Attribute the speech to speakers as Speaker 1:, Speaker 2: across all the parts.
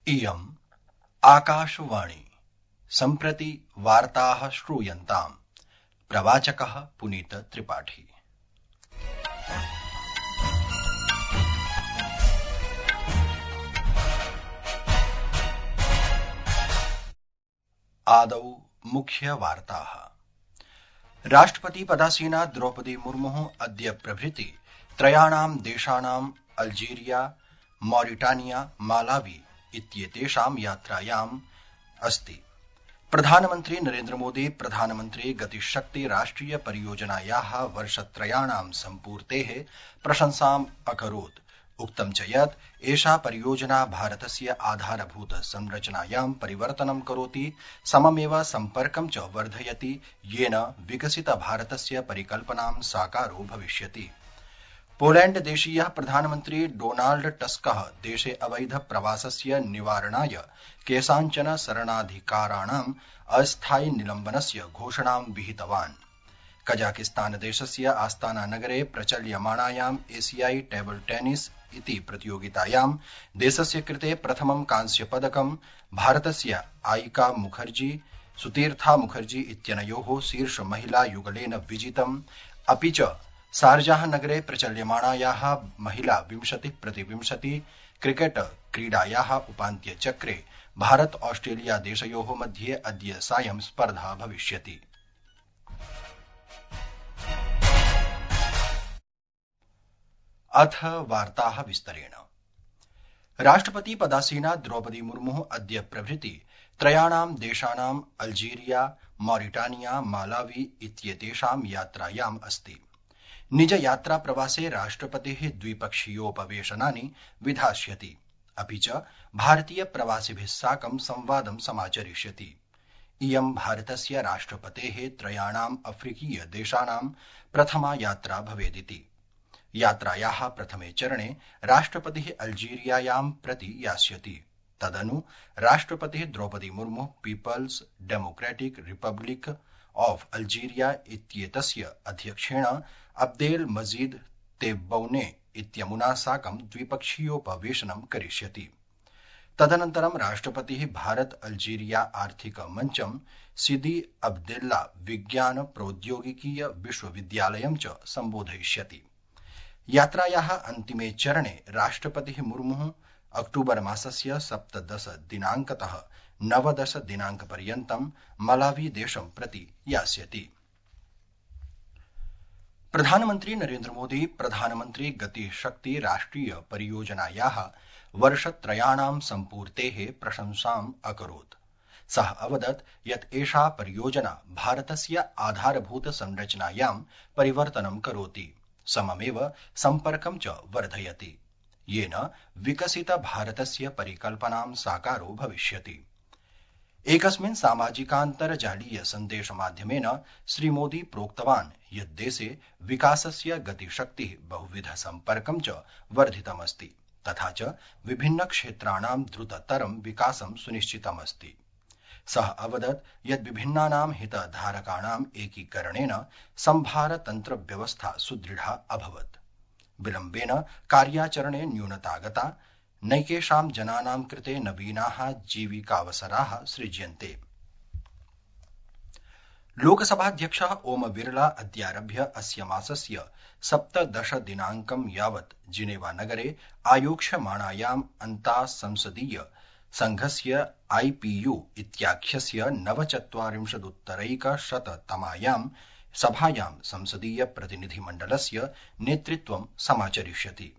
Speaker 1: इयम् आकाशवाणी सम्प्रति वार्ताः श्रूयन्ताम्। प्रवाचकः पुनीत त्रिपाठी। आदौ मुख्य वार्ताः। राष्ट्रपति पदासीना द्रौपदी मुर्मुः अद्य प्रभृति त्रयाणां देशानां अल्जीरिया, मॉरिटानिया, मालावी इत्येतेषां यात्रायाम् अस्ति। प्रधानमन्त्री नरेन्द्र मोदी प्रधानमन्त्री गतिशक्ति राष्ट्रिय परियोजनायाः वर्षत्रयाणां सम्पूर्तेः प्रशंसाम् अकरोत्। उक्तं च यत् एषा परियोजना भारतस्य आधारभूत संरचनायां परिवर्तनं करोति, सममेव सम्पर्कं च वर्धयति, येन विकसित भारतस्य परिकल्पनां साकारो भविष्यति। पोलैण्ड देशीयः प्रधानमन्त्री डोनाल्ड टस्कः देशे अवैध प्रवासस्य निवारणाय केषाञ्चन शरणाधिकाराणाम् अस्थायि निलम्बनस्य घोषणां विहितवान्। कजाकिस्तान देशस्य आस्ताना नगरे प्रचल्यमाणायाम् एशियाई टेबल टेनिस इति प्रतियोगितायां देशस्य कृते प्रथमं कांस्यपदकं भारतस्य आयिका मुखर्जी सुतीर्था मुखर्जी इत्यनयोः शीर्ष महिला युगलेन विजितम्। अपि च शारजाह नगरे प्रचल्यमाणायाः महिला 20-20 क्रिकेट क्रीडायाः उपान्त्यचक्रे भारत ऑस्ट्रेलिया देशयोः मध्ये अद्य सायं स्पर्धा भविष्यति। अथ वार्ताः विस्तरेण। राष्ट्रपति पदासीना द्रौपदी मुर्मुः अद्य प्रभृति त्रयाणां देशानां अल्जीरिया, मॉरिटानिया, मालावी इत्येतेषां यात्रायाम् अस्ति। निज यात्रा प्रवासे राष्ट्रपतिः द्विपक्षीयोपवेशनानि विधास्यति, अपि च भारतीय प्रवासिभिः साकं संवादं समाचरिष्यति। इयं भारतस्य राष्ट्रपतेः त्रयाणाम् अफ्रीकीय देशानां प्रथमा यात्रा भवेदिति। यात्रायाः प्रथमे चरणे राष्ट्रपतिः अल्जीरियायां प्रति यास्यति। तदनु राष्ट्रपतिः द्रौपदी मुर्मुः People's Democratic Republic of Algeria इत्येतस्य अध्यक्षेण अब्देल मजीद तेब्बौने इत्यमुना साकं द्विपक्षीयोपवेशनं करिष्यति। तदनन्तरं राष्ट्रपतिः भारत अल्जीरिया आर्थिक मञ्चं सिदी अब्देल्ला विज्ञान प्रौद्योगिकीय विश्वविद्यालयं च सम्बोधयिष्यति। यात्रायाः अन्तिमे चरणे राष्ट्रपतिः मुर्मुः अक्टूबर मासस्य 17 दिनाङ्कतः 19 दिनाङ्कपर्यन्तं मलावी देशं प्रति यास्यति। प्रधानमन्त्री नरेन्द्र मोदी प्रधानमन्त्री गतिशक्ति राष्ट्रिय परियोजनायाः वर्षत्रयाणां सम्पूर्तेः प्रशंसाम् अकरोत्। सः अवदत् यत् एषा परियोजना भारतस्य आधारभूत संरचनायां परिवर्तनं करोति, सममेव सम्पर्कं च वर्धयति, येन विकसित भारतस्य परिकल्पनां साकारो भविष्यति। एकस्मिन् सामाजिकान्तर्जालीय सन्देशमाध्यमेन श्रीमोदी प्रोक्तवान् यत् देशे विकासस्य गतिशक्तिः बहुविध सम्पर्कं च वर्धितमस्ति, तथा च विभिन्न क्षेत्राणां द्रुततरं विकासं सुनिश्चितमस्ति। सः अवदत् यत् विभिन्नानां हितधारकाणाम् एकीकरणेन सम्भारतन्त्र व्यवस्था सुदृढा अभवत्। विलम्बेन कार्याचरणे न्यूनता गता, नैकेषां जनानां कृते नवीनाः जीविकावसराः सृज्यन्ते। लोकसभाध्यक्षः ओम बिरला अद्यारभ्य अस्य मासस्य 17 दिनाङ्कं यावत् जिनेवा नगरे आयोक्ष्यमाणायाम् अन्तासंसदीय संघस्य IPU इत्याख्यस्य 49-तमायां सभायां संसदीय प्रतिनिधिमण्डलस्य नेतृत्वं समाचरिष्यति।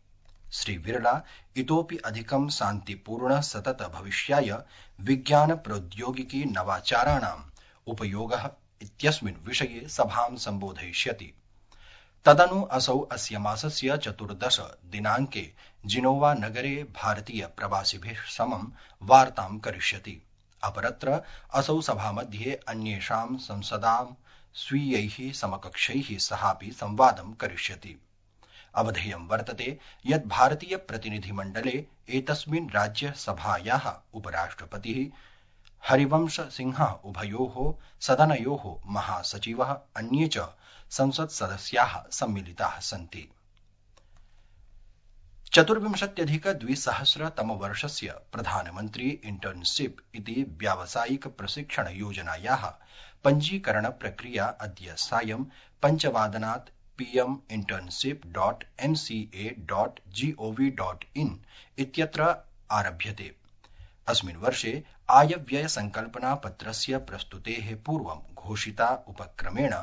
Speaker 1: श्री बिरला इतोपि अधिकं शान्तिपूर्ण सतत भविष्याय विज्ञान प्रौद्योगिकी नवाचाराणाम् उपयोगः इत्यस्मिन् विषये सभां सम्बोधयिष्यति। तदनु असौ अस्य मासस्य 14 दिनाङ्के जिनोवा नगरे भारतीय प्रवासिभिः समं वार्तां करिष्यति। अपरत्र असौ सभामध्ये अन्येषां संसदां स्वीयैः समकक्षैः सहापि संवादं करिष्यति। अवधेयं वर्तते यत् भारतीय प्रतिनिधिमण्डले एतस्मिन् राज्यसभायाः उपराष्ट्रपतिः हरिवंश सिंहः उभयोः सदनयोः महासचिवः अन्ये च संसत्सदस्याः सम्मिलिताः सन्ति। चतुर्विंशत्यधिक-द्विसहस्रतमवर्षस्य प्रधानमन्त्री इंटर्नशिप इति व्यावसायिक प्रशिक्षण योजनायाः पञ्जीकरण प्रक्रिया अद्य सायं 5:00 pm internship.nca.gov.in इत्यत्र आरभ्यते। अस्मिन् वर्षे आयव्यय संकल्पनापत्रस्य प्रस्तुतेः पूर्वं घोषिता उपक्रमेण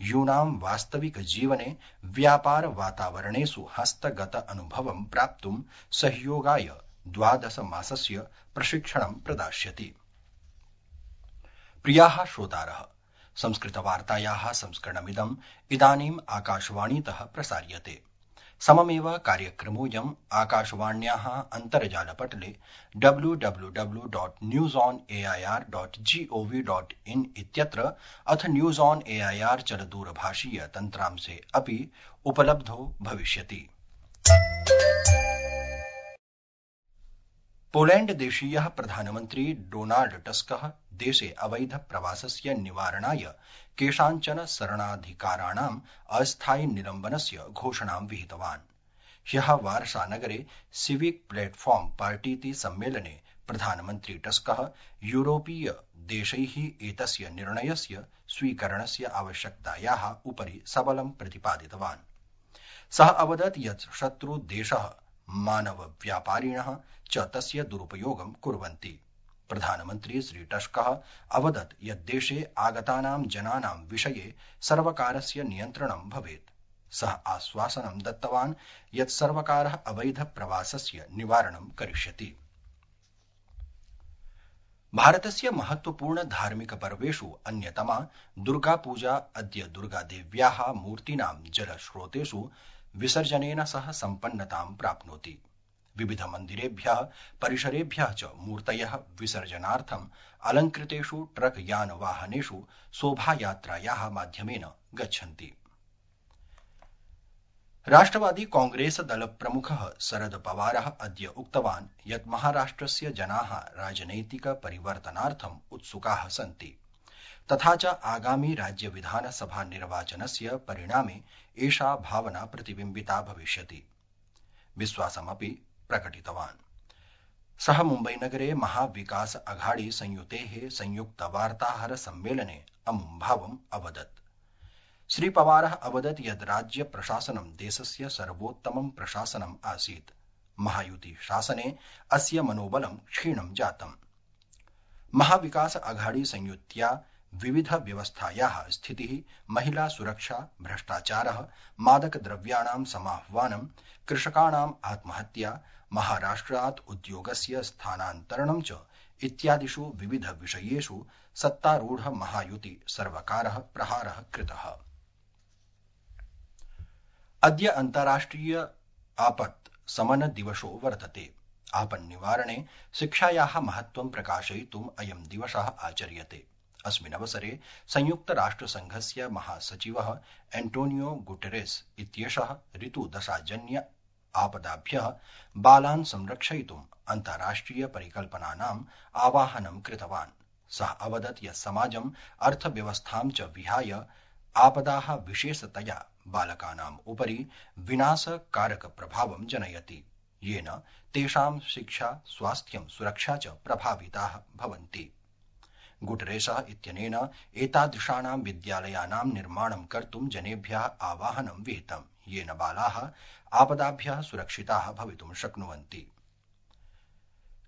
Speaker 1: यूनां वास्तविक जीवने व्यापार वातावरणेषु हस्तगत अनुभवं प्राप्तुं सहयोगाय 12 मासस्य प्रशिक्षणं प्रदास्यति। प्रियाः श्रोतारः, संस्कृतवार्तायाः संस्करणमिदम् इदानीम् आकाशवाणीतः प्रसार्यते। सममेव कार्यक्रमोऽयम् आकाशवाण्याः अन्तर्जालपटले www.newsonair.gov.in इत्यत्र अथ न्यूज ऑन एआईआर चलदूरभाषीय तन्त्रांशे अपि उपलब्धो भविष्यति। पोलैंड देशीयः प्रधानमन्त्री डोनाल्ड टस्कः देशे अवैध प्रवासस्य निवारणाय केषाञ्चन शरणाधिकाराणाम् अस्थायि निलम्बनस्य घोषणां विहितवान्। ह्यः वार्सानगरे सिविक प्लेटफॉर्म पार्टीति सम्मेलने प्रधानमन्त्री टस्कः यूरोपीय देशैः एतस्य निर्णयस्य स्वीकरणस्य आवश्यकतायाः उपरि सबलं प्रतिपादितवान्। सः अवदत् यत् शत्रुदेशः मानवव्यापारिणः च तस्य दुरुपयोगं कुर्वन्ति। प्रधानमन्त्री श्री टस्कः अवदत् यत् देशे आगतानां जनानां विषये सर्वकारस्य नियन्त्रणं भवेत्। सः आश्वासनं दत्तवान् यत् सर्वकारः अवैध प्रवासस्य निवारणं करिष्यति। भारतस्य महत्वपूर्ण धार्मिक पर्वेषु अन्यतमा दुर्गापूजा अद्य दुर्गादेव्याः मूर्तीनां जलस्रोतेषु विसर्जनेन सह सम्पन्नतां प्राप्नोति। विविध मन्दिरेभ्यः परिसरेभ्यः च मूर्तयः विसर्जनार्थम् अलङ्कृतेषु ट्रक यान वाहनेषु शोभायात्रायाः माध्यमेन गच्छन्ति। राष्ट्रवादी कांग्रेस दल प्रमुखः शरद पवारः अद्य उक्तवान् यत् महाराष्ट्रस्य जनाः राजनैतिक परिवर्तनार्थम् उत्सुकाः सन्ति, तथा च आगामि राज्य विधानसभा निर्वाचनस्य परिणामे एषा भावना प्रतिबिम्बिता भविष्यति। विश्वासमपि प्रकटितवान्। सः मुम्बईनगरे महाविकास अघाड़ी संयुतेः संयुक्त वार्ताहर सम्मेलने अमुं भावम् अवदत्। श्री पवारः अवदत् यत् राज्य प्रशासनं देशस्य सर्वोत्तमं प्रशासनम् आसीत्। महायुति शासने अस्य मनोबलं क्षीणं जातम्। महाविकास अघाड़ी संयुत्या विविध व्यवस्थायाः स्थितिः, महिला सुरक्षा, भ्रष्टाचारः, मादक द्रव्याणां समाह्वानं, कृषकाणाम् आत्महत्या, महाराष्ट्रात् उद्योगस्य स्थानान्तरणं च इत्यादिषु विविध विषयेषु सत्तारूढ महायुति सर्वकारः प्रहारः कृतः। अद्य अन्ताराष्ट्रिय आपत् समन दिवसो वर्तते। आपन्निवारणे शिक्षायाः महत्त्वं प्रकाशयितुम् अयं दिवसः आचर्यते। अस्मिन् अवसरे संयुक्तराष्ट्रसङ्घस्य महासचिवः एंटोनियो गुटेरेस इत्येषः ऋतुदशाजन्य आपदाभ्यः बालान् संरक्षयितुम् अन्ताराष्ट्रिय परिकल्पनानाम् आवाहनं कृतवान्। सः अवदत् यत् समाजम् अर्थव्यवस्थां च विहाय आपदाः विशेषतया बालकानाम् उपरि विनाशकारक प्रभावं जनयति, येन तेषां शिक्षा, स्वास्थ्यं, सुरक्षा च प्रभाविताः भवन्ति। गुटेरेसः इत्यनेन एतादृशानां विद्यालयानां निर्माणं कर्तुं जनेभ्यः आवाहनं विहितम्, येन बालाः आपदाभ्यः सुरक्षिताः भवितुं शक्नुवन्ति।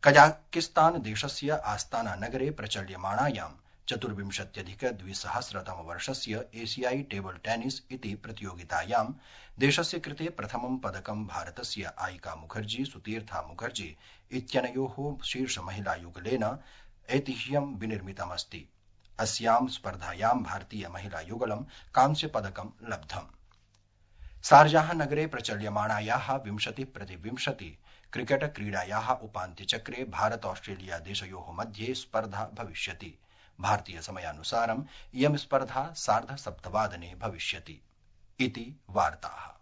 Speaker 1: कजाकिस्तान देशस्य आस्ताना नगरे प्रचल्यमाणायां 24-अधिक-द्विसहस्रतमवर्षस्य एशियाई टेबल टेनिस इति प्रतियोगितायां देशस्य कृते प्रथमं पदकं भारतस्य आयिका मुखर्जी सुतीर्था मुखर्जी इत्यनयोः शीर्ष महिला युगलेन ऐतिह्यं विनिर्मितमस्ति। अस्यां स्पर्धायां भारतीय महिला युगलं कांस्य पदकं लब्धम्। शारजाह नगरे प्रचल्यमाणायाः 20-20 क्रिकेट क्रीडायाः उपान्त्यचक्रे भारत ऑस्ट्रेलिया देशयोः मध्ये स्पर्धा भविष्यति। भारतीय समयानुसारम् इयं स्पर्धा 7:30 भविष्यति। इति वार्ताः।